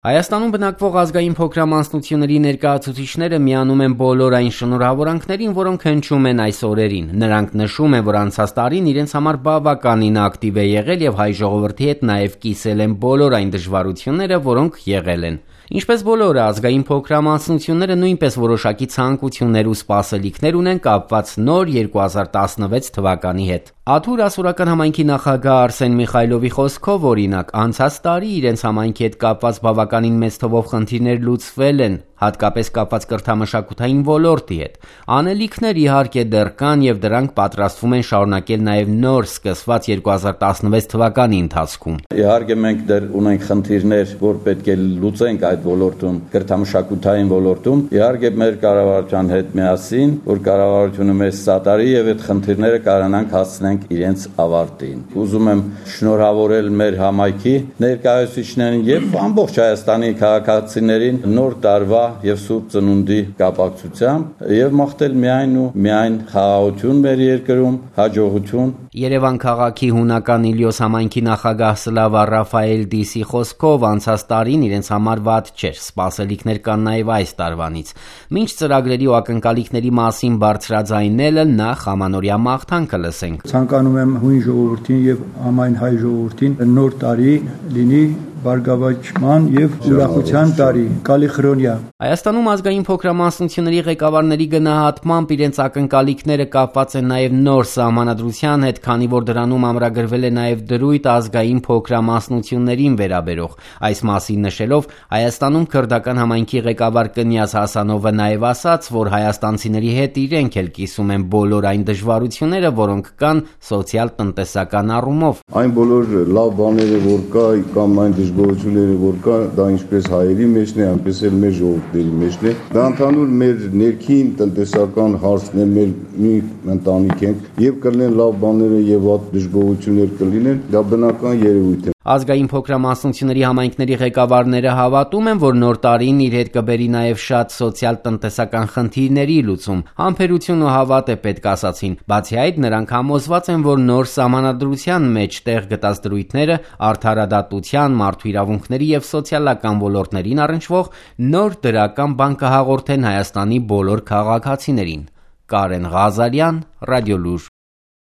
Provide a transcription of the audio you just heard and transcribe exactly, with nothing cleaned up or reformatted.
Հայաստանում բնակվող ազգային փոքրամասնությունների ներկայացուցիչները միանում են բոլոր այն շնորհավորանքներին, որոնք հնչում են այս օրերին։ Նրանք նշում են, որ անցած տարին իրենց համար բավականին ակտիվ է եղել եւ հայ ժողովրդի հետ նաեւ կիսել են բոլոր այն դժվարությունները, որոնք եղել են։ Ինչպես բոլորը, ազգային փոքրամասնությունները նույնպես որոշակի ցանկություններ ու սպասելիքներ ունեն կապված նոր երկու հազար տասնվեց թվականի հետ։ Աթուր ասորական համայնքի նախագահ Արսեն Միխայլովի խոսքով, օրինակ, անցած տարի իրենց համայնքի հետ կապված բավականին մեծ թվով խնդիրներ լուծվել են, հատկապես կապված կրթամշակութային ոլորտի հետ։ Անելիքներ իհարկե դեռ կան եւ դրանք պատրաստվում են շարունակել նաեւ նոր սկսված երկու հազար տասնվեց թվականի ընթացքում։ Իհարկե մենք դեռ ունենք խնդիրներ, որ պետք է լուծենք այդ ոլորտում, կրթամշակութային ոլորտում։ Իհարկե մեր կառավարության հետ միասին, որ կառավարությունը մեզ սատարի եւ այդ խնդիրները կարողանանք հասցնենք իրենց ավարտին։ Ուզում եմ շնորհավորել մեր համայնքի ներկայացուցիչներին եւ ամբողջ Հայաստանի քաղաքացիներին նոր տարվա եւ Սուրբ Ծնունդի կապակցությամբ եւ մաղթել միայն ու միայն խաղաղություն մեր երկրում, հաջողություն։ Երևան քաղաքի հունական Իլիոս համայնքի նախագահ Սլավա Ռաֆայել Դիսի խոսքով անցած տարին իրենց համար վատ չէր, սպասելիքներ կան նաեւ այս տարվանից։ Մինչ ծրագրերի ու ակնկալիքների մասին բարձրաձայնելը նախ ամանորյա մաղթանքը լսենք։ Ցանկանում եմ հույն ժողովրդին եւ ամայն հայ ժողովրդին նոր տարի լինի բարգավաճման եւ ուրախության տարի, կալիխրոնյա։ Հայաստանում ազգային փոքրամասնությունների ղեկավարների գնահատմամբ իրենց ակնկալիքները կապված են նաեւ նոր սահմանադրության հետ, քանի որ դրանում ամրագրվել է նաեւ դրույթ ազգային փոքրամասնություններին վերաբերող։ Այս մասին նշելով Հայաստանում քրդական համայնքի ղեկավար Կնյազ Հասանովը նաեւ ասաց, որ հայաստանցիների հետ իրենք էլ կիսում են բոլոր այն դժվարությունները, որոնք կան սոցիալ-տնտեսական առումով։ Այն բոլոր լավ բաները, որ կա, կամ այն դժգոհությունները, որ կա, դա ինչպես հայերի մեջն է, այնպես էլ մեր ժողովրդների մեջն է։ Դա ընդհանուր մեր ներքին տնտեսական հարցն է, մեր մի ընտանիք ենք եւ կլինեն լավ բաները եւ վատ դժգոհություններ կլինեն, դա բնական երևույթ է։ Ազգային փոքրամասնությունների համայնքների ղեկավարները հավատում են, որ նոր տարին իր հետ կբերի նաև շատ սոցիալ-տնտեսական խնդիրների լուծում։ Համբերություն ու հավատ է պետք, ասացին։ Բացի այդ, նրանք համոզված են, որ նոր սահմանադրության մեջ տեղ գտած դրույթները արդարադատության, մարդու իրավունքների եւ սոցիալական ոլորտներին առնչվող նոր դրական բան կհաղորդեն Հայաստանի բոլոր քաղաքացիներին։ Կարեն Ղազարյան, Ռադիոլուր։